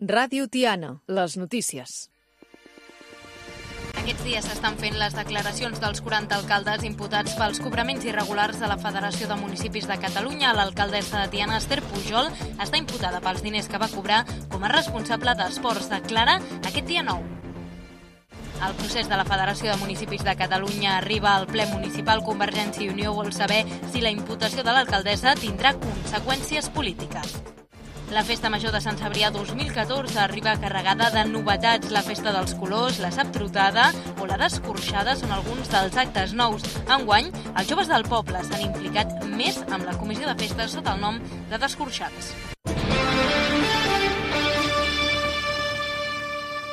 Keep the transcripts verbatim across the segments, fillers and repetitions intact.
Ràdio Tiana, les notícies. Aquests dies s'estan fent les declaracions dels quaranta alcaldes imputats pels cobraments irregulars de la Federació de Municipis de Catalunya. L'alcaldessa de Tiana, Esther Pujol, està imputada pels diners que va cobrar com a responsable d'esports. Declara aquest dia nou. El procés de la Federació de Municipis de Catalunya arriba al ple municipal. Convergència i Unió vol saber si la imputació de l'alcaldessa tindrà conseqüències polítiques. La Festa Major de Sant Cebrià dos mil catorze arriba carregada de novetats. La Festa dels Colors, la Saptrotada o la d'Escorxada són alguns dels actes nous. Enguany, els joves del poble s'han implicat més amb la comissió de festes sota el nom de Descorxats.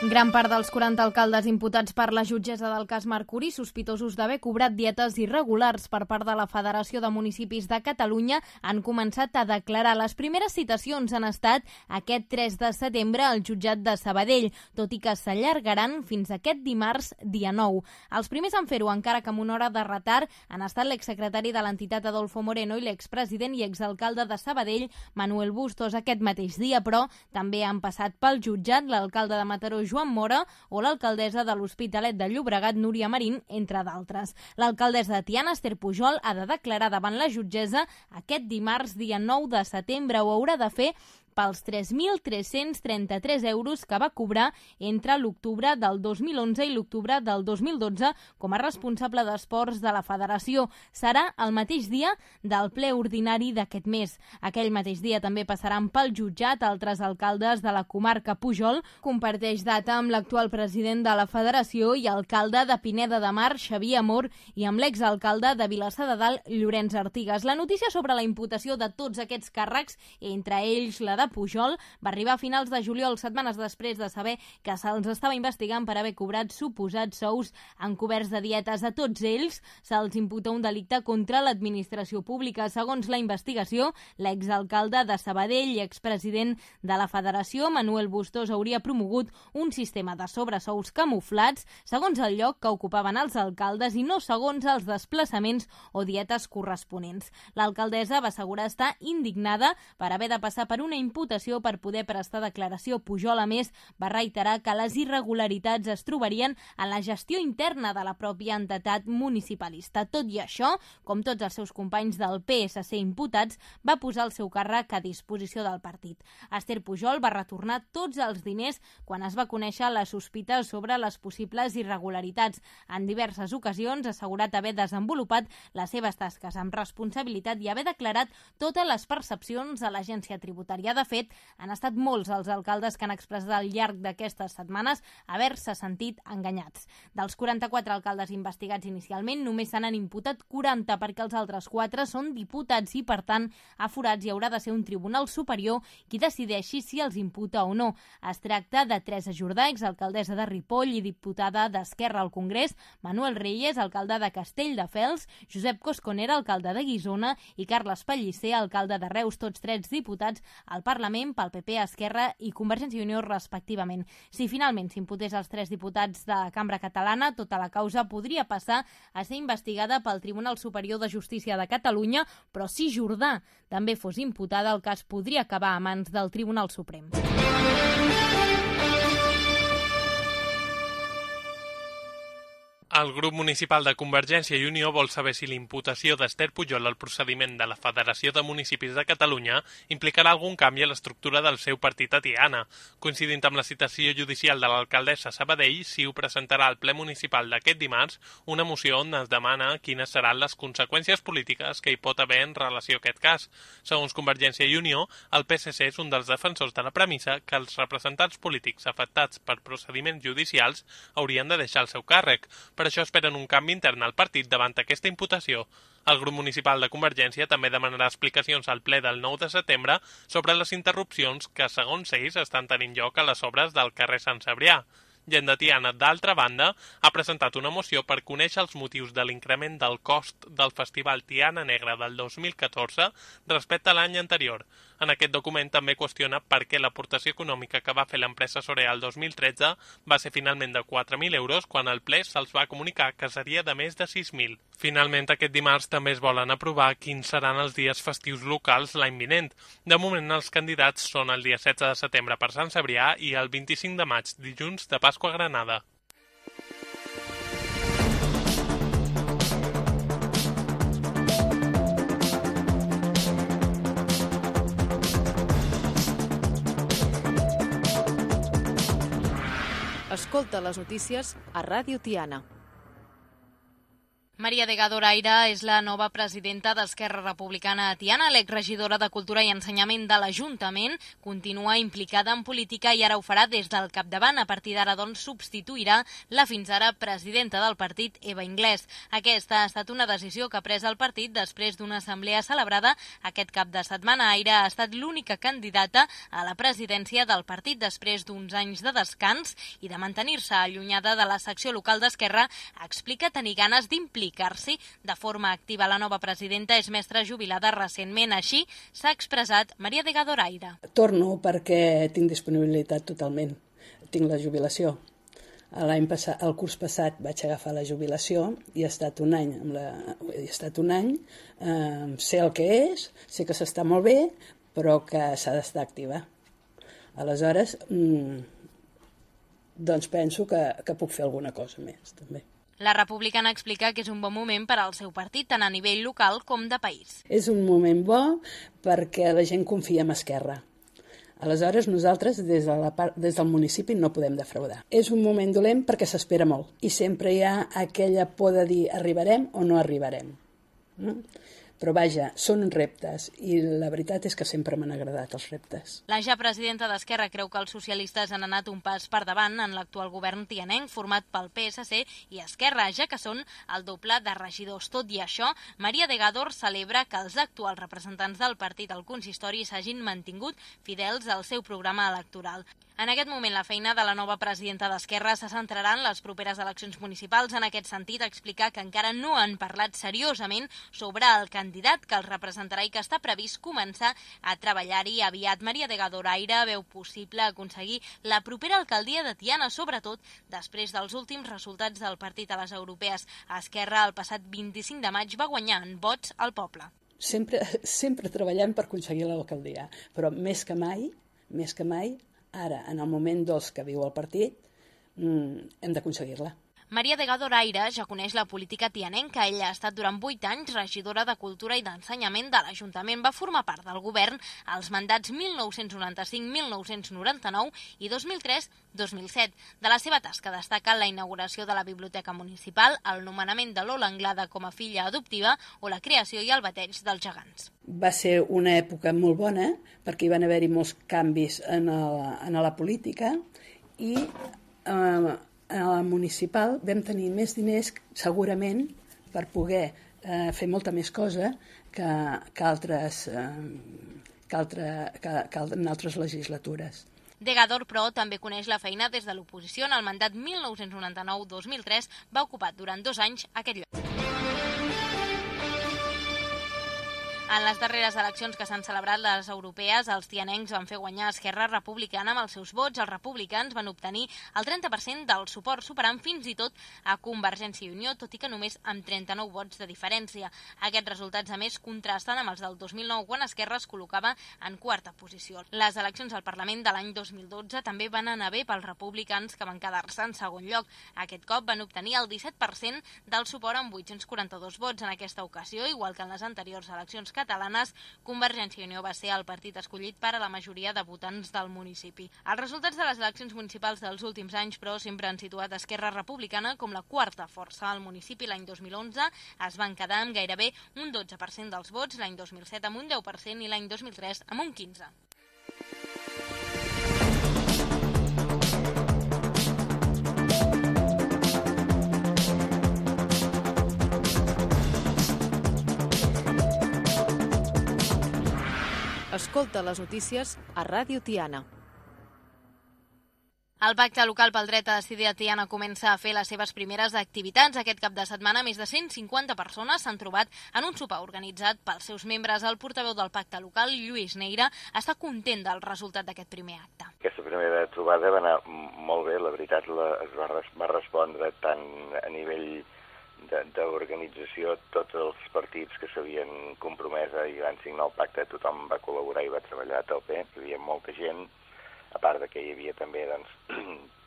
Gran part dels quaranta alcaldes imputats per la jutgessa del cas Mercuri, sospitosos d'haver cobrat dietes irregulars per part de la Federació de Municipis de Catalunya, han començat a declarar. Les primeres citacions han estat aquest tres de setembre al jutjat de Sabadell, tot i que s'allargaran fins aquest dimarts, dia nou. Els primers en fer-ho, encara que amb una hora de retard, han estat l'exsecretari de l'entitat Adolfo Moreno i l'expresident i exalcalde de Sabadell, Manuel Bustos. Aquest mateix dia, però, també han passat pel jutjat l'alcalde de Mataró, Joan Mora, o l'alcaldessa de l'Hospitalet de Llobregat, Núria Marín, entre d'altres. L'alcaldessa de Tiana, Esther Pujol, ha de declarar davant la jutgessa aquest dimarts, dia nou de setembre. Ho haurà de fer pels tres mil tres-cents trenta-tres euros que va cobrar entre l'octubre del dos mil onze i l'octubre del dos mil dotze com a responsable d'esports de la Federació. Serà el mateix dia del ple ordinari d'aquest mes. Aquell mateix dia també passaran pel jutjat altres alcaldes de la comarca. Pujol comparteix data amb l'actual president de la Federació i alcalde de Pineda de Mar, Xavier Amor, i amb l'exalcalde de Vilassar de Dalt, Llorenç Artigas. La notícia sobre la imputació de tots aquests càrrecs, entre ells la de Pujol, va arribar a finals de juliol, setmanes després de saber que se'ls estava investigant per haver cobrat suposats sous encoberts de dietes. A tots ells se'ls imputa un delicte contra l'administració pública. Segons la investigació, l'exalcalde de Sabadell i expresident de la Federació, Manuel Bustos, hauria promogut un sistema de sobresous camuflats segons el lloc que ocupaven els alcaldes i no segons els desplaçaments o dietes corresponents. L'alcaldessa va assegurar estar indignada per haver de passar per una imputació per poder prestar declaració. Pujol, a més, va reiterar que les irregularitats es trobarien en la gestió interna de la pròpia entitat municipalista. Tot i això, com tots els seus companys del P S C imputats, va posar el seu càrrec a disposició del partit. Esther Pujol va retornar tots els diners quan es va conèixer les sospites sobre les possibles irregularitats. En diverses ocasions ha assegurat haver desenvolupat les seves tasques amb responsabilitat i haver declarat totes les percepcions a l'agència tributària. De fet, han estat molts els alcaldes que han expressat al llarg d'aquestes setmanes haver-se sentit enganyats. Dels quaranta-quatre alcaldes investigats inicialment, només se n'han imputat quaranta perquè els altres quatre són diputats i, per tant, aforats, i haurà de ser un tribunal superior qui decideixi si els imputa o no. Es tracta de Teresa Jordà, exalcaldessa de Ripoll i diputada d'Esquerra al Congrés, Manuel Reyes, alcalde de Castelldefels, Josep Cosconera, alcalde de Guissona, i Carles Pellicer, alcalde de Reus, tots tres diputats al Parlament pel P P, Esquerra i Convergència i Unió, respectivament. Si finalment s'imputés als tres diputats de la Cambra Catalana, tota la causa podria passar a ser investigada pel Tribunal Superior de Justícia de Catalunya, però si Jordà també fos imputada, el cas podria acabar a mans del Tribunal Suprem. El grup municipal de Convergència i Unió vol saber si l'imputació d'Esther Pujol al procediment de la Federació de Municipis de Catalunya implicarà algun canvi a l'estructura del seu partit a Tiana. Coincidint amb la citació judicial de l'alcaldessa Sabadell, si ho presentarà al ple municipal d'aquest dimarts una moció on es demana quines seran les conseqüències polítiques que hi pot haver en relació a aquest cas. Segons Convergència i Unió, el P S C és un dels defensors de la premissa que els representants polítics afectats per procediments judicials haurien de deixar el seu càrrec. Per això esperen un canvi intern al partit davant aquesta imputació. El grup municipal de Convergència també demanarà explicacions al ple del nou de setembre sobre les interrupcions que, segons ells, estan tenint lloc a les obres del carrer Sant Cebrià. Gent de Tiana, d'altra banda, ha presentat una moció per conèixer els motius de l'increment del cost del Festival Tiana Negra del dos mil catorze respecte a l'any anterior. En aquest document també qüestiona per què l'aportació econòmica que va fer l'empresa Sorea el dos mil tretze va ser finalment de quatre mil euros quan el ple se'ls va comunicar que seria de més de sis mil. Finalment, aquest dimarts també es volen aprovar quins seran els dies festius locals l'any vinent. De moment, els candidats són el dia setze de setembre per Sant Cebrià i el vint-i-cinc de maig, dilluns de Pasqua a Granada. Escolta les notícies a Ràdio Tiana. Maria Delgado-Raira és la nova presidenta d'Esquerra Republicana a Tiana. L'exregidora de Cultura i Ensenyament de l'Ajuntament continua implicada en política i ara ho farà des del capdavant. A partir d'ara, doncs, substituirà la fins ara presidenta del partit, Eva Inglés. Aquesta ha estat una decisió que ha pres el partit després d'una assemblea celebrada aquest cap de setmana. Aira ha estat l'única candidata a la presidència del partit després d'uns anys de descans i de mantenir-se allunyada de la secció local d'Esquerra. Explica tenir ganes d'implicar implicar-s'hi de forma activa. La nova presidenta és mestra jubilada recentment. Així s'ha expressat Maria Delgado-Raira. Torno perquè tinc disponibilitat totalment. Tinc la jubilació. L'any passat, el curs passat vaig agafar la jubilació i he estat un any. Amb la, he estat un any, eh, sé el que és, sé que s'està molt bé, però que s'ha d'estar activa. Aleshores, mm, doncs penso que, que puc fer alguna cosa més, també. La republicana explica que és un bon moment per al seu partit, tant a nivell local com de país. És un moment bo perquè la gent confia en Esquerra. Aleshores, nosaltres des, de la part, des del municipi no podem defraudar. És un moment dolent perquè s'espera molt i sempre hi ha aquella por de dir arribarem o no arribarem. Mm? Però vaja, són reptes i la veritat és que sempre m'han agradat els reptes. La ja presidenta d'Esquerra creu que els socialistes han anat un pas per davant en l'actual govern tianenc format pel P S C i Esquerra, ja que són el doble de regidors. Tot i això, Maria Delgado celebra que els actuals representants del partit al consistori s'hagin mantingut fidels al seu programa electoral. En aquest moment, la feina de la nova presidenta d'Esquerra se centrarà en les properes eleccions municipals. En aquest sentit, explicar que encara no han parlat seriosament sobre el candidat que els representarà i que està previst començar a treballar-hi aviat. Maria Delgado-Raira veu possible aconseguir la propera alcaldia de Tiana, sobretot després dels últims resultats del partit a les europees. Esquerra, el passat vint-i-cinc de maig, va guanyar en vots al poble. Sempre, sempre treballem per aconseguir l'alcaldia, però més que mai, més que mai, ara, en el moment dolç que viu el partit, hem d'aconseguir-la. Maria Delgado-Raira ja coneix la política tianenca. Ella ha estat durant vuit anys regidora de Cultura i d'Ensenyament de l'Ajuntament. Va formar part del govern als mandats mil nou-cents noranta-cinc mil nou-cents noranta-nou i dos mil tres dos mil set. De la seva tasca destaca la inauguració de la Biblioteca Municipal, el nomenament de Lola Anglada com a filla adoptiva o la creació i el bateig dels gegants. Va ser una època molt bona perquè hi van haver-hi molts canvis en, el, en la política i eh, a la municipal vam tenir més diners segurament per poder eh, fer molta més cosa que, que, altres, eh, que, altre, que, que en altres legislatures. Delgado, però, també coneix la feina des de l'oposició. En el mandat mil nou-cents noranta-nou dos mil tres va ocupar durant dos anys aquest lloc. En les darreres eleccions que s'han celebrat, les europees, els tianencs van fer guanyar Esquerra Republicana amb els seus vots. Els republicans van obtenir el trenta per cent del suport, superant fins i tot a Convergència i Unió, tot i que només amb trenta-nou vots de diferència. Aquests resultats, a més, contrasten amb els del dos mil nou, quan Esquerra es col·locava en quarta posició. Les eleccions al Parlament de l'any dos mil dotze també van anar bé pels republicans, que van quedar-se en segon lloc. Aquest cop van obtenir el disset per cent del suport amb vuit-cents quaranta-dos vots. En aquesta ocasió, igual que en les anteriors eleccions catalanes, Convergència i Unió va ser el partit escollit per a la majoria de votants del municipi. Els resultats de les eleccions municipals dels últims anys, però, sempre han situat Esquerra Republicana com la quarta força al municipi. L'any dos mil onze es van quedar amb gairebé un dotze per cent dels vots, l'any dos mil set amb un deu per cent i l'any dos mil tres amb un quinze per cent. Escolta les notícies a Ràdio Tiana. El Pacte Local pel Dret a Decidir a Tiana comença a fer les seves primeres activitats. Aquest cap de setmana, més de cent cinquanta persones s'han trobat en un sopar organitzat pels seus membres. El portaveu del Pacte Local, Lluís Neira, està content del resultat d'aquest primer acte. Aquesta primera trobada va anar molt bé, la veritat la, es va, va respondre tant a nivell d'organització, tots els partits que s'havien compromès i van signar el pacte, tothom va col·laborar i va treballar a tope, hi havia molta gent, a part de que hi havia també doncs,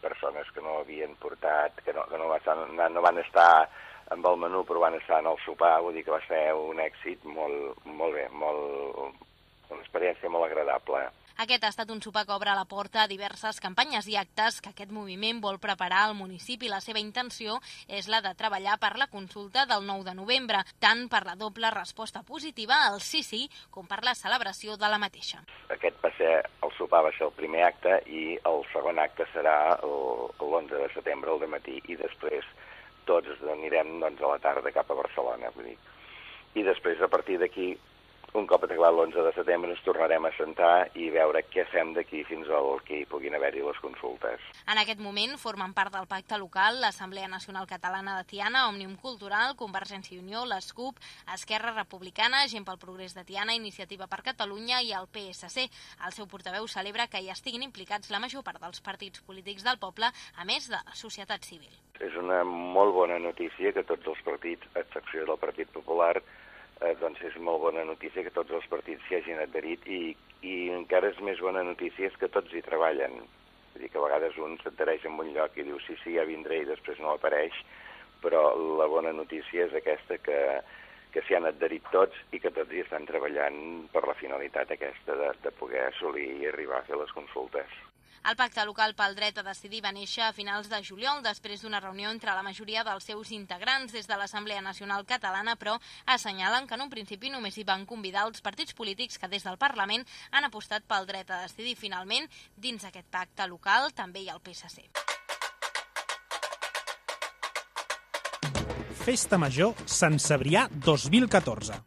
persones que no havien portat, que, no, que no, van, no van estar amb el menú però van estar en el sopar, vull dir que va ser un èxit molt, molt bé, molt, una experiència molt agradable. Aquest ha estat un sopar que obre la porta a diverses campanyes i actes que aquest moviment vol preparar al municipi. La seva intenció és la de treballar per la consulta del nou de novembre, tant per la doble resposta positiva al sí sí com per la celebració de la mateixa. Aquest va ser, el sopar va ser el primer acte i el segon acte serà l'onze de setembre al dematí i després tots anirem doncs, a la tarda cap a Barcelona. Vull dir. I després, a partir d'aquí, un cop acabat l'onze de setembre ens tornarem a sentar i veure què fem d'aquí fins al que hi puguin haver-hi les consultes. En aquest moment formen part del pacte local l'Assemblea Nacional Catalana de Tiana, Òmnium Cultural, Convergència i Unió, l'ESCUP, Esquerra Republicana, Gent pel Progrés de Tiana, Iniciativa per Catalunya i el P S C. El seu portaveu celebra que hi estiguin implicats la major part dels partits polítics del poble, a més de la societat civil. És una molt bona notícia que tots els partits, a excepció del Partit Popular, Eh, doncs és molt bona notícia que tots els partits s'hi hagin adherit i, i encara és més bona notícia és que tots hi treballen. Vull dir que a vegades un s'adhereix en un lloc i diu sí, sí, ja vindré i després no apareix, però la bona notícia és aquesta que, que s'hi han adherit tots i que tots hi estan treballant per la finalitat aquesta de, de poder assolir i arribar a fer les consultes. El Pacte Local pel Dret a Decidir va néixer a finals de juliol, després d'una reunió entre la majoria dels seus integrants des de l'Assemblea Nacional Catalana, però assenyalen que en un principi només hi van convidar els partits polítics que des del Parlament han apostat pel dret a decidir. Finalment, dins aquest pacte local també hi ha el P S C. Festa Major Sant Cebrià dos mil catorze.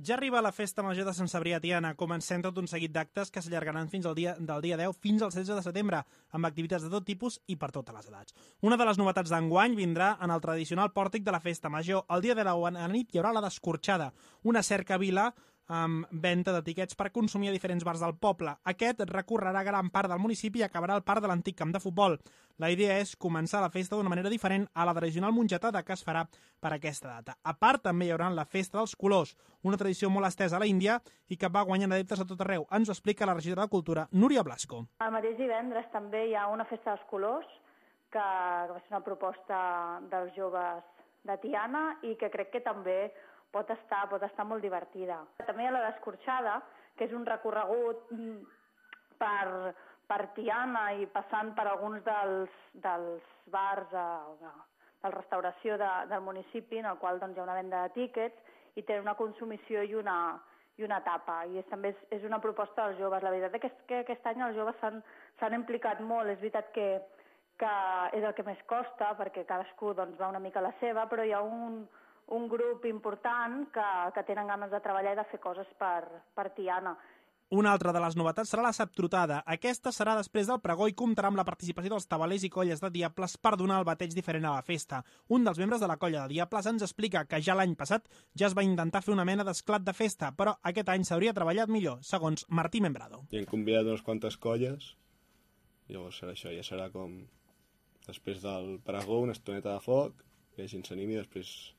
Ja arriba la Festa Major de Sant Cebrià a Tiana. Comencem tot un seguit d'actes que s'allargaran fins al dia, del dia deu fins al setze de setembre, amb activitats de tot tipus i per totes les edats. Una de les novetats d'enguany vindrà en el tradicional pòrtic de la Festa Major. El dia de la nit hi haurà la Descorxada, una cercavila amb venda de tiquets per consumir a diferents bars del poble. Aquest recorrerà gran part del municipi i acabarà al parc de l'antic camp de futbol. La idea és començar la festa d'una manera diferent a la tradicional mongetada que es farà per aquesta data. A part, també hi haurà la Festa dels Colors, una tradició molt estesa a la Índia i que va guanyant adeptes a tot arreu. Ens ho explica la regidora de Cultura, Núria Blasco. El mateix divendres també hi ha una Festa dels Colors, que va ser una proposta dels joves de Tiana i que crec que també pot estar, pot estar molt divertida. També hi ha la Descorxada, que és un recorregut per, per Tiana i passant per alguns dels, dels bars de, de, de restauració de, del municipi, en el qual doncs, hi ha una venda de tíquets i té una consumició i una, i una tapa. I és, també és, és una proposta dels joves. La veritat és que aquest any els joves s'han implicat molt. És veritat que, que és el que més costa, perquè cadascú doncs, va una mica a la seva, però hi ha un un grup important que, que tenen ganes de treballar i de fer coses per, per Tiana. Una altra de les novetats serà la Saptrotada. Aquesta serà després del pregó i comptarà amb la participació dels tabalers i colles de diables per donar el bateig diferent a la festa. Un dels membres de la colla de diables ens explica que ja l'any passat ja es va intentar fer una mena d'esclat de festa, però aquest any s'hauria treballat millor, segons Martí Membrado. I hem convidat unes quantes colles, llavors serà això, ja serà com després del pregó, una estoneta de foc, que la gent s'animi i després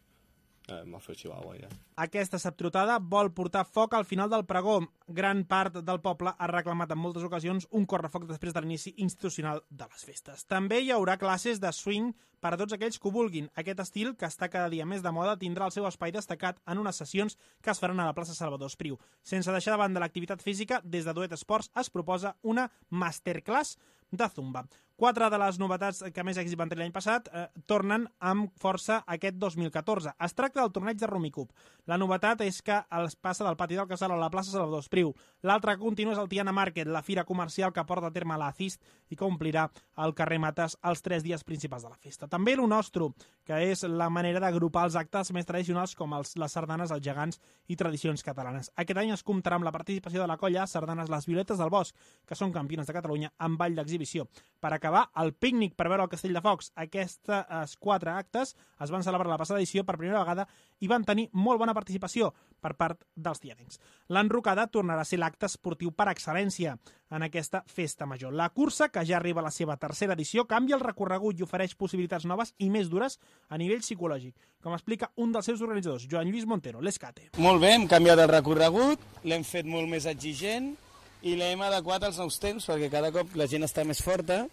Eh, m'ha fet Chihuahua, ja. Aquesta Saptrotada vol portar foc al final del pregó. Gran part del poble ha reclamat en moltes ocasions un correfoc després de l'inici institucional de les festes. També hi haurà classes de swing per a tots aquells que ho vulguin. Aquest estil, que està cada dia més de moda, tindrà el seu espai destacat en unes sessions que es faran a la plaça Salvador Espriu. Sense deixar de banda l'activitat física, des de Duet Esports es proposa una masterclass de zumba. Quatre de les novetats que més èxit van tenir l'any passat eh, tornen amb força aquest dos mil catorze. Es tracta del torneig de Rumicup. La novetat és que es passa del pati del Casal a la plaça Salvador Espriu. L'altre que continua és el Tiana Market, la fira comercial que porta a terme la CIST i que omplirà el carrer Mates els tres dies principals de la festa. També lo nostre, que és la manera d'agrupar els actes més tradicionals com els, les sardanes, els gegants i tradicions catalanes. Aquest any es comptarà amb la participació de la colla Sardanes Les Violetes del Bosc, que són campiones de Catalunya amb ball d'exhibició. Per acabar, el pícnic per veure el Castell de Focs. Aquests quatre actes es van celebrar la passada edició per primera vegada i van tenir molt bona participació per part dels tianencs. L'enrocada tornarà a ser l'acte esportiu per excel·lència en aquesta festa major. La cursa, que ja arriba a la seva tercera edició, canvia el recorregut i ofereix possibilitats noves i més dures a nivell psicològic, com explica un dels seus organitzadors, Joan Lluís Montero, l'Escate. Molt bé, hem canviat el recorregut, l'hem fet molt més exigent i l'hem adequat als nous temps perquè cada cop la gent està més forta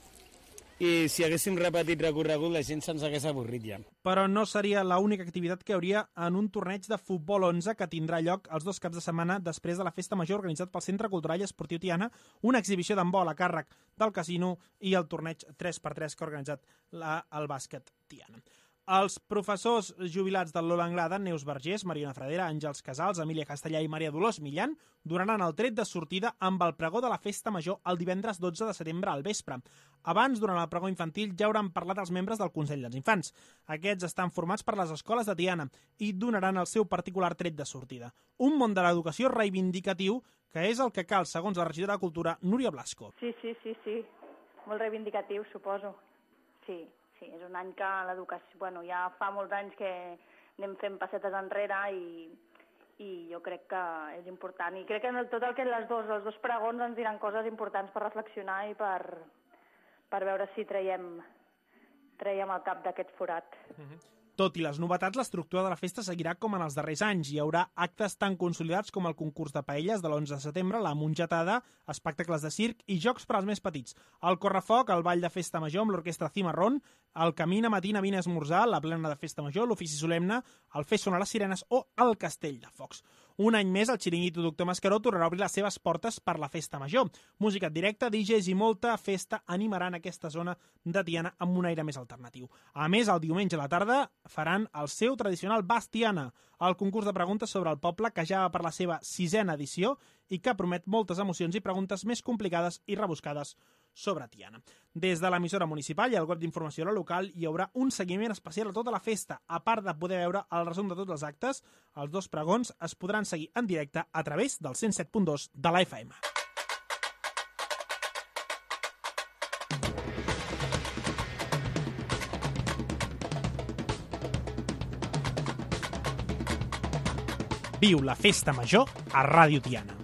i si haguéssim repetit recorregut la gent se'ns hagués avorrit ja. Però no seria l'única activitat que hi hauria en un torneig de futbol onze que tindrà lloc els dos caps de setmana després de la festa major organitzat pel Centre Cultural i Esportiu Tiana, una exhibició d'handbol a càrrec del casino i el torneig tres per tres que ha organitzat la, el bàsquet Tiana. Els professors jubilats del Lola Anglada, Neus Vergés, Mariona Fradera, Àngels Casals, Emília Castellà i Maria Dolors Millan, donaran el tret de sortida amb el pregó de la festa major el divendres dotze de setembre al vespre. Abans, durant el pregó infantil, ja hauran parlat els membres del Consell dels Infants. Aquests estan formats per les escoles de Tiana i donaran el seu particular tret de sortida. Un món de l'educació reivindicatiu que és el que cal, segons la regidora de Cultura, Núria Blasco. Sí, sí, sí, sí. Molt reivindicatiu, suposo. Sí. Sí, és un any que l'educació, bueno, ja fa molts anys que anem fent passetes enrere i, i jo crec que és important. I crec que tot el que les dos, els dos pregons ens diran coses importants per reflexionar i per, per veure si traiem, traiem el cap d'aquest forat. Mm-hmm. Tot i les novetats, l'estructura de la festa seguirà com en els darrers anys. Hi haurà actes tan consolidats com el concurs de paelles de l'onze de setembre, la mongetada, espectacles de circ i jocs per als més petits. El correfoc, el ball de festa major amb l'orquestra Cimarrón, el Camina Matina Vine a esmorzar, la plena de festa major, l'ofici solemne, el Fer sonar les sirenes o el Castell de Focs. Un any més, el xiringuito Doctor Mascaró tornarà a obrir les seves portes per la festa major. Música en directe, D Js i molta festa animaran aquesta zona de Tiana amb un aire més alternatiu. A més, el diumenge a la tarda faran el seu tradicional Bas Tiana, el concurs de preguntes sobre el poble que ja va per la seva sisena edició i que promet moltes emocions i preguntes més complicades i rebuscades sobre Tiana. Des de l'emissora municipal i el web d'informació local hi haurà un seguiment especial a tota la festa. A part de poder veure el resum de tots els actes, els dos pregons es podran seguir en directe a través del cent set punt dos de la F M. Viu la festa major a Ràdio Tiana.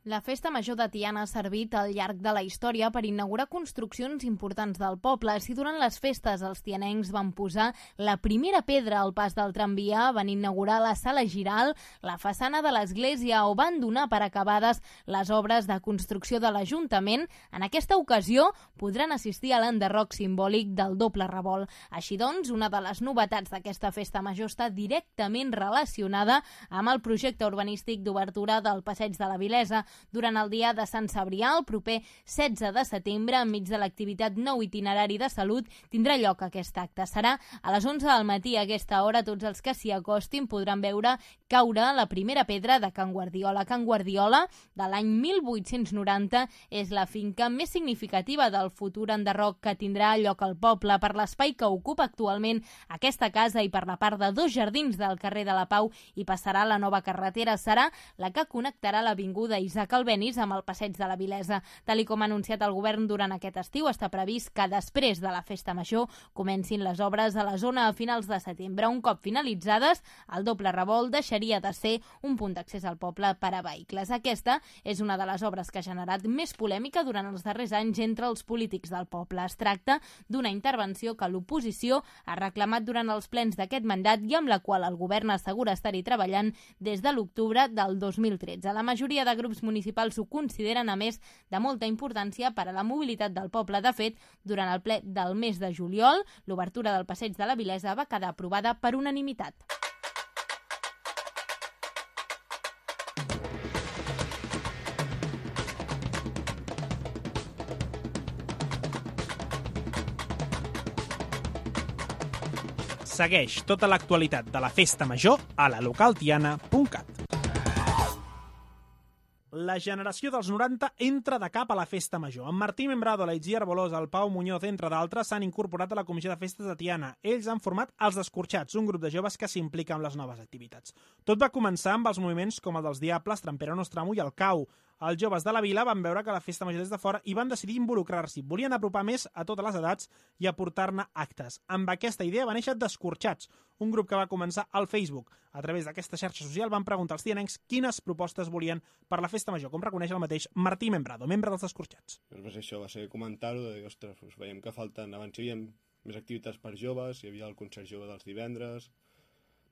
La festa major de Tiana ha servit al llarg de la història per inaugurar construccions importants del poble. Si durant les festes els tianencs van posar la primera pedra al pas del tramvia, van inaugurar la sala Giral, la façana de l'església o van donar per acabades les obres de construcció de l'Ajuntament, en aquesta ocasió podran assistir a l'enderroc simbòlic del doble revolt. Així doncs, una de les novetats d'aquesta festa major està directament relacionada amb el projecte urbanístic d'obertura del Passeig de la Vilesa. Durant el dia de Sant Cebrià, el proper setze de setembre, enmig de l'activitat Nou Itinerari de Salut, tindrà lloc aquest acte. Serà a les onze del matí. A aquesta hora, tots els que s'hi acostin podran veure caure la primera pedra de Can Guardiola. Can Guardiola, de l'any mil vuit-cents noranta, és la finca més significativa del futur enderroc que tindrà lloc al poble per l'espai que ocupa actualment aquesta casa i per la part de dos jardins del carrer de la Pau i passarà la nova carretera. Serà la que connectarà l'avinguda Isaac Albéniz amb el Passeig de la Vilesa. Tal i com ha anunciat el govern durant aquest estiu, està previst que després de la festa major comencin les obres a la zona a finals de setembre. Un cop finalitzades, el doble revolt deixaria de ser un punt d'accés al poble per a vehicles. Aquesta és una de les obres que ha generat més polèmica durant els darrers anys entre els polítics del poble. Es tracta d'una intervenció que l'oposició ha reclamat durant els plens d'aquest mandat i amb la qual el govern assegura estar-hi treballant des de l'octubre del dos mil tretze. La majoria de grups municipals ho consideren, a més, de molta importància per a la mobilitat del poble. De fet, durant el ple del mes de juliol, l'obertura del Passeig de la Vilesa va quedar aprovada per unanimitat. Segueix tota l'actualitat de la Festa Major a la localtiana punt cat. La generació dels noranta entra de cap a la Festa Major. En Martí Membrado, l'Aitziar Bolós, el Pau Muñoz, entre d'altres, s'han incorporat a la Comissió de Festes de Tiana. Ells han format els Descorxats, un grup de joves que s'implica amb les noves activitats. Tot va començar amb els moviments com el dels Diables, Trampera Nostramo i el Cau. Els joves de la vila van veure que la Festa Major des de fora i van decidir involucrar-s'hi. Volien apropar més a totes les edats i aportar-ne actes. Amb aquesta idea va néixer Descorxats, un grup que va començar al Facebook. A través d'aquesta xarxa social van preguntar als tianencs quines propostes volien per la Festa Major, com reconeix el mateix Martí Membrado, membre dels Descorxats. Doncs això va ser comentar-ho, de dir, ostres, doncs veiem que falten, abans hi havia més activitats per joves, hi havia el concert jove dels divendres,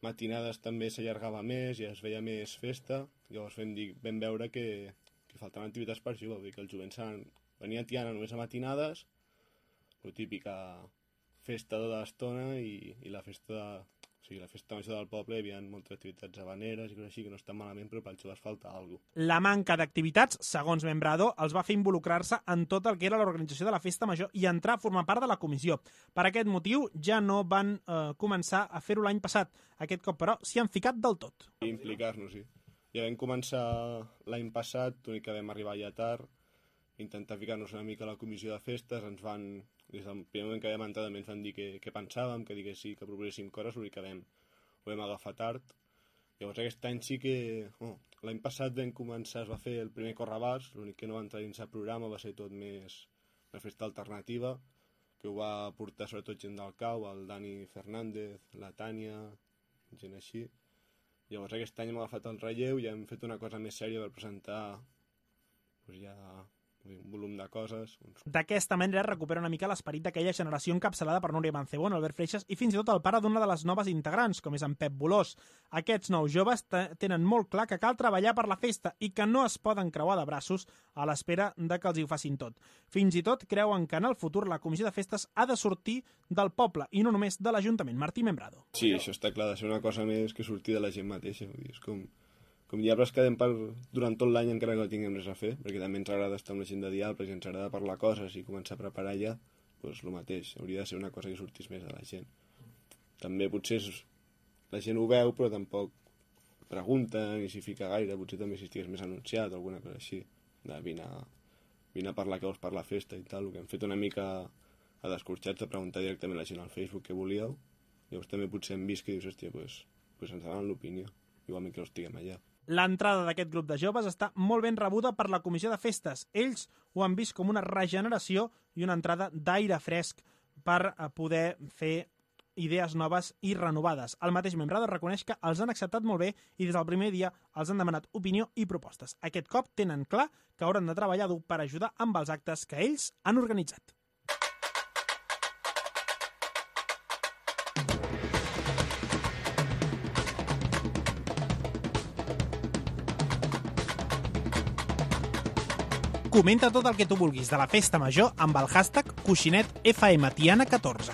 matinades també s'allargava més i es veia més festa, llavors vam, dir, vam veure que que faltaven activitats per jugar, vull dir que els jovents venien a Tiana només a matinades, la típica festa de l'estona i, i la festa de, o sigui, la festa major del poble, hi havia moltes activitats habaneres i coses així que no estan malament, però per als joves falta alguna cosa. La manca d'activitats, segons Membrado, els va fer involucrar-se en tot el que era l'organització de la Festa Major i entrar a formar part de la comissió. Per aquest motiu ja no van eh, començar a fer-ho l'any passat. Aquest cop, però, s'hi han ficat del tot. I implicar-nos, sí. Ja vam començar l'any passat, l'únic que vam arribar ja tard, intentar ficar-nos una mica a la comissió de festes, ens van, des del primer moment que vam entrar també ens van dir què, què pensàvem, que digués sí, que proposéssim coses, l'únic que vam, ho vam agafar tard. Llavors aquest any sí que, oh, l'any passat vam començar, es va fer el primer Correbars, l'únic que no va entrar dins el programa va ser tot més una festa alternativa, que ho va portar sobretot gent del Cau, el Dani Fernández, la Tània, gent així. Llavors aquest any hem agafat el relleu i hem fet una cosa més sèria per presentar doncs ja un volum de coses. D'aquesta manera recupera una mica l'esperit d'aquella generació encapçalada per Núria Mancebón, Albert Freixas i fins i tot el pare d'una de les noves integrants, com és en Pep Bolós. Aquests nous joves tenen molt clar que cal treballar per la festa i que no es poden creuar de braços a l'espera de que els hi ho facin tot. Fins i tot creuen que en el futur la comissió de festes ha de sortir del poble i no només de l'Ajuntament. Martí Membrado. Sí, això està clar, de ser una cosa més que sortir de la gent mateixa. Vull dir, és com... Com diables quedem per, durant tot l'any encara que no tinguem res a fer, perquè també ens agrada estar amb la gent de diables i ens agrada parlar coses i començar a preparar ja, doncs el mateix, hauria de ser una cosa que sortís més de la gent. També potser la gent ho veu, però tampoc pregunta ni s'hi fica gaire, potser també si estigués més anunciat o alguna cosa així, de vine a, vine a parlar que vols per la festa i tal, el que hem fet una mica a Descorxats de preguntar directament a la gent al Facebook què volíeu, llavors també potser hem vist que dius, hòstia, doncs, doncs ens donen l'opinió, igualment que no estiguem allà. L'entrada d'aquest grup de joves està molt ben rebuda per la comissió de festes. Ells ho han vist com una regeneració i una entrada d'aire fresc per poder fer idees noves i renovades. El mateix Membrado reconeix que els han acceptat molt bé i des del primer dia els han demanat opinió i propostes. Aquest cop tenen clar que hauran de treballar dur per ajudar amb els actes que ells han organitzat. Comenta tot el que tu vulguis de la Festa Major amb el hashtag coixinet F M Tiana catorze.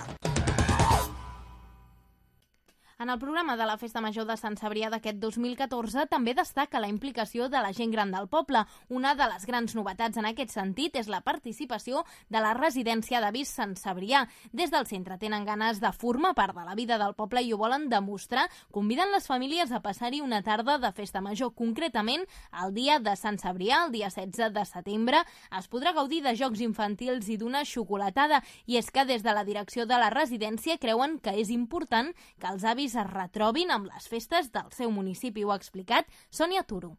En el programa de la Festa Major de Sant Cebrià d'aquest dos mil catorze també destaca la implicació de la gent gran del poble. Una de les grans novetats en aquest sentit és la participació de la residència d'avis Sant Cebrià. Des del centre tenen ganes de formar part de la vida del poble i ho volen demostrar, convidant les famílies a passar-hi una tarda de Festa Major. Concretament, el dia de Sant Cebrià, el dia setze de setembre, es podrà gaudir de jocs infantils i d'una xocolatada. I és que des de la direcció de la residència creuen que és important que els avis es retrobin amb les festes del seu municipi. Ho ha explicat Sònia Turo.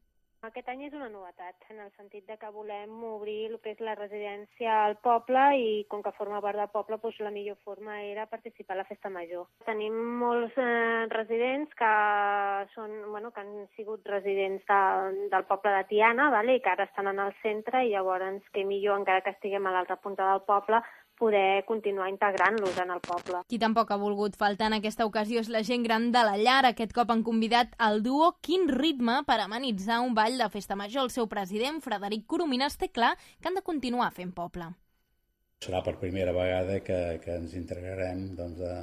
Aquest any és una novetat, en el sentit de que volem obrir el que és la residència al poble i com que forma part del poble, doncs la millor forma era participar a la Festa Major. Tenim molts eh, residents que, són, bueno, que han sigut residents de, del poble de Tiana, vale? I que ara estan en el centre i llavors que millor, encara que estiguem a l'altra punta del poble, poder continuar integrant-los en el poble. Qui tampoc ha volgut faltar en aquesta ocasió és la gent gran de la llar. Aquest cop han convidat el duo Quin Ritme per amenitzar un ball de Festa Major. El seu president, Frederic Coromines, té clar que han de continuar fent poble. Serà per primera vegada que, que ens integrarem doncs, de,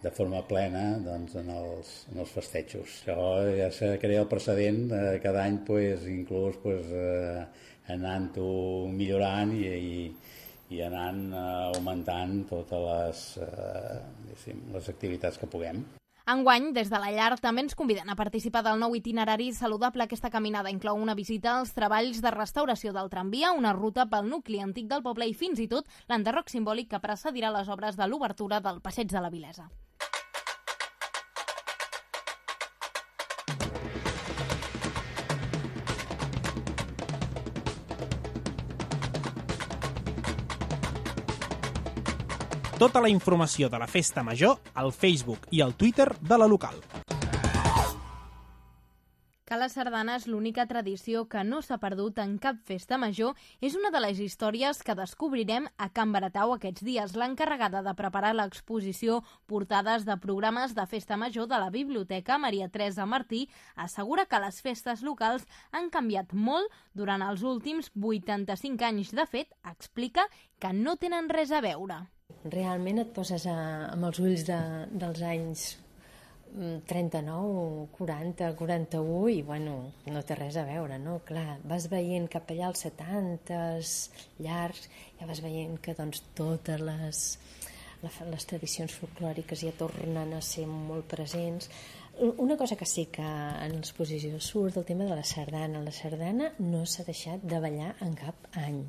de forma plena doncs, en, els, en els festejos. Això ja se crea el precedent, eh, cada any pues, inclús pues, eh, anant-ho millorant i, i i anant eh, augmentant totes les, eh, les activitats que puguem. Enguany, des de la llar, també ens conviden a participar del nou itinerari saludable. Aquesta caminada inclou una visita als treballs de restauració del tramvia, una ruta pel nucli antic del poble i fins i tot l'enderroc simbòlic que precedirà les obres de l'obertura del Passeig de la Vilesa. Tota la informació de la Festa Major al Facebook i al Twitter de la local. Que la sardana és l'única tradició que no s'ha perdut en cap festa major és una de les històries que descobrirem a Can Baratau aquests dies. L'encarregada de preparar l'exposició Portades de programes de festa major de la Biblioteca, Maria Teresa Martí, assegura que les festes locals han canviat molt durant els últims vuitanta-cinc anys. De fet, explica que no tenen res a veure. Realment et poses a, amb els ulls de, dels anys trenta-nou, quaranta, quaranta-u i bueno, no té res a veure, no? Clar, vas veient cap allà als setantes llargs, ja vas veient que doncs totes les, les tradicions folclòriques ja tornen a ser molt presents. Una cosa que sí que en l'exposició surt, el tema de la sardana. La sardana no s'ha deixat de ballar en cap any.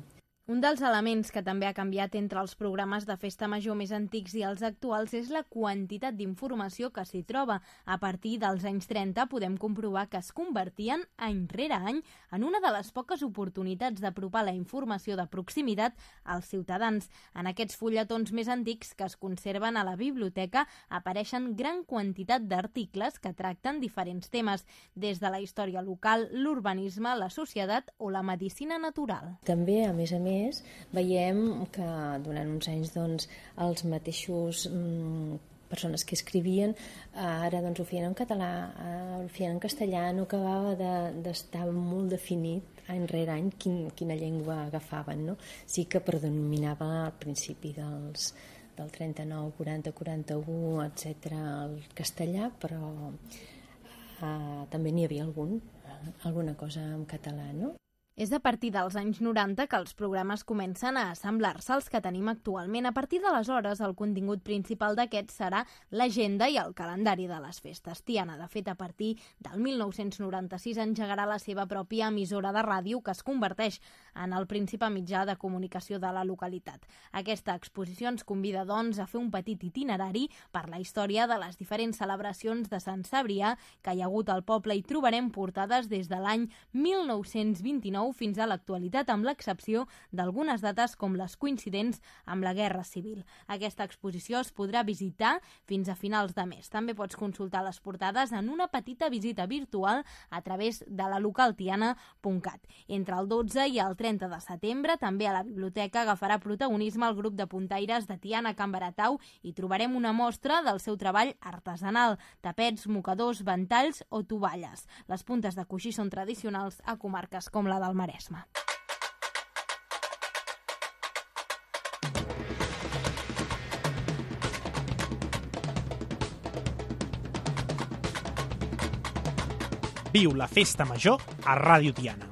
Un dels elements que també ha canviat entre els programes de festa major més antics i els actuals és la quantitat d'informació que s'hi troba. A partir dels anys trenta podem comprovar que es convertien any rere any en una de les poques oportunitats d'apropar la informació de proximitat als ciutadans. En aquests fulletons més antics que es conserven a la biblioteca apareixen gran quantitat d'articles que tracten diferents temes, des de la història local, l'urbanisme, la societat o la medicina natural. També, a més a més, veiem que durant uns anys doncs, els mateixos mm, persones que escrivien ara doncs, ho feien en català, ho feien en castellà, no acabava d'estar de, molt definit any rere any quin, quina llengua agafaven, no? Sí que predominava al principi dels, del trenta-nou, quaranta, quaranta-u, etcètera, el castellà, però eh, també n'hi havia algun, alguna cosa en català, no? És a partir dels anys noranta que els programes comencen a assemblar-se als que tenim actualment. A partir d'aleshores, el contingut principal d'aquests serà l'agenda i el calendari de les festes. Tiana, de fet, a partir del mil nou-cents noranta-sis engegarà la seva pròpia emissora de ràdio que es converteix en el principal mitjà de comunicació de la localitat. Aquesta exposició ens convida, doncs, a fer un petit itinerari per la història de les diferents celebracions de Sant Cebrià que hi ha hagut al poble i trobarem portades des de l'any mil nou-cents vint-i-nou fins a l'actualitat, amb l'excepció d'algunes dates com les coincidents amb la Guerra Civil. Aquesta exposició es podrà visitar fins a finals de mes. També pots consultar les portades en una petita visita virtual a través de la local tiana punt cat. Entre el dotze i el trenta de setembre, també a la biblioteca agafarà protagonisme el grup de puntaires de Tiana Can Baratau i trobarem una mostra del seu treball artesanal, tapets, mocadors, ventalls o tovalles. Les puntes de coixí són tradicionals a comarques com la del Maresme. Viu la Festa Major a Ràdio Tiana.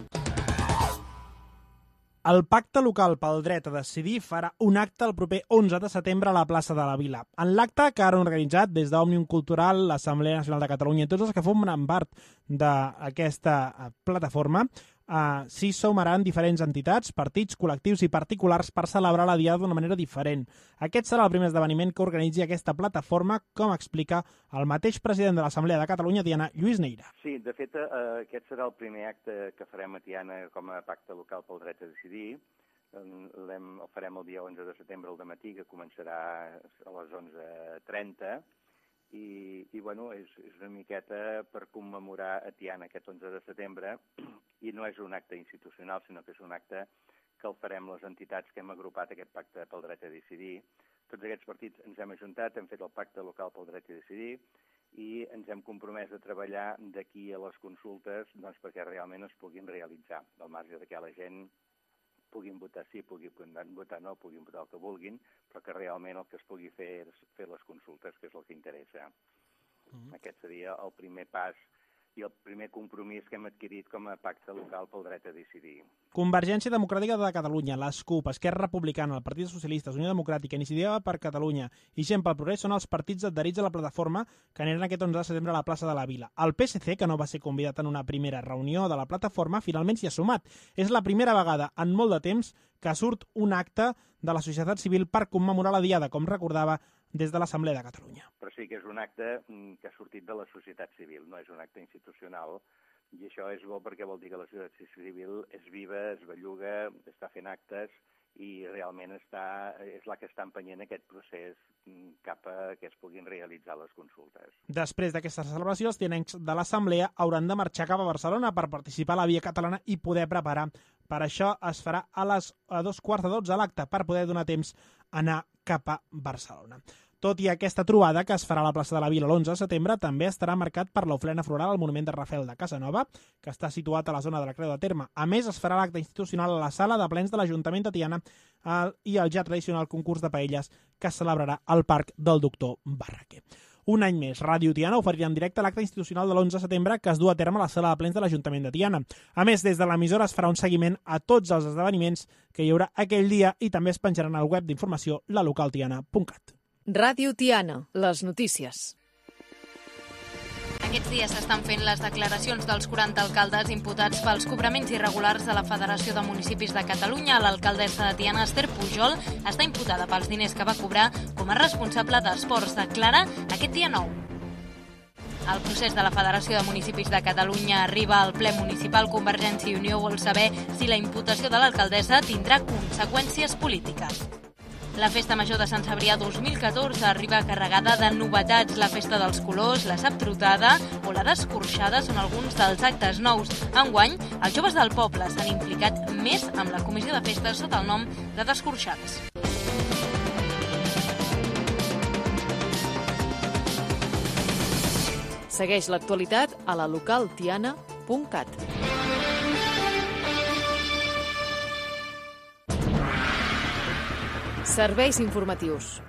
El Pacte Local pel Dret a Decidir farà un acte el proper onze de setembre a la plaça de la Vila. En l'acte, que han organitzat des d'Òmnium Cultural, l'Assemblea Nacional de Catalunya i tots els que formen part d'aquesta plataforma, uh, s'hi sumaran diferents entitats, partits, col·lectius i particulars per celebrar la diada d'una manera diferent. Aquest serà el primer esdeveniment que organitzi aquesta plataforma, com explica el mateix president de l'Assemblea de Catalunya, Tiana, Lluís Neira. Sí, de fet, eh, aquest serà el primer acte que farem a Tiana com a Pacte Local pel Dret a Decidir. El farem el dia onze de setembre al dematí, que començarà a les onze trenta, i, i bueno, és, és una miqueta per commemorar a Tiana aquest onze de setembre, i no és un acte institucional, sinó que és un acte que el farem les entitats que hem agrupat aquest Pacte pel Dret a Decidir. Tots aquests partits ens hem ajuntat, hem fet el Pacte Local pel Dret a Decidir i ens hem compromès a treballar d'aquí a les consultes doncs, perquè realment es puguin realitzar, al marge de que la gent puguin votar sí, puguin votar no, puguin votar el que vulguin, però que realment el que es pugui fer és fer les consultes, que és el que interessa. Mm-hmm. Aquest seria el primer pas i el primer compromís que hem adquirit com a pacte local pel dret a decidir. Convergència Democràtica de Catalunya, les CUP, Esquerra Republicana, el Partit Socialista, Unió Democràtica, Iniciativa per Catalunya i Gent pel Progrés són els partits adherits a la plataforma que aniran aquest onze de setembre a la plaça de la Vila. El P S C, que no va ser convidat en una primera reunió de la plataforma, finalment s'hi ha sumat. És la primera vegada en molt de temps que surt un acte de la societat civil per commemorar la diada, com recordava des de l'Assemblea de Catalunya. Però sí que és un acte que ha sortit de la societat civil, no és un acte institucional, i això és bo perquè vol dir que la societat civil és viva, es belluga, està fent actes i realment està, és la que està empenyent aquest procés cap a que es puguin realitzar les consultes. Després d'aquesta celebració, els tinents de l'Assemblea hauran de marxar cap a Barcelona per participar a la Via Catalana i poder preparar. Per això es farà a les a dos quarts de dotze l'acte per poder donar temps a anar cap a Barcelona. Tot i aquesta trobada, que es farà a la plaça de la Vila l'onze de setembre, també estarà marcat per l'ofrena floral al monument de Rafael de Casanova, que està situat a la zona de la Creu de Terme. A més, es farà l'acte institucional a la sala de plens de l'Ajuntament de Tiana i el ja tradicional concurs de paelles que es celebrarà al Parc del Doctor Barraquer. Un any més, Ràdio Tiana oferirà en directe l'acte institucional de l'onze de setembre que es du a terme a la sala de plens de l'Ajuntament de Tiana. A més, des de l'emissora es farà un seguiment a tots els esdeveniments que hi haurà aquell dia i també es penjaran al web d'informació la local tiana punt cat. Ràdio Tiana, les notícies. Aquests dies s'estan fent les declaracions dels quaranta alcaldes imputats pels cobraments irregulars de la Federació de Municipis de Catalunya. L'alcaldessa de Tiana, Esther Pujol, està imputada pels diners que va cobrar com a responsable d'esports, declara aquest dia nou. El procés de la Federació de Municipis de Catalunya arriba al ple municipal. Convergència i Unió vol saber si la imputació de l'alcaldessa tindrà conseqüències polítiques. La Festa Major de Sant Cebrià dos mil catorze arriba carregada de novetats. La Festa dels Colors, la Saptrotada o la d'Escorxada són alguns dels actes nous. Enguany, els joves del poble s'han implicat més amb la comissió de festes sota el nom de Descorxats. Segueix l'actualitat a la local tiana punt cat. Serveis informatius.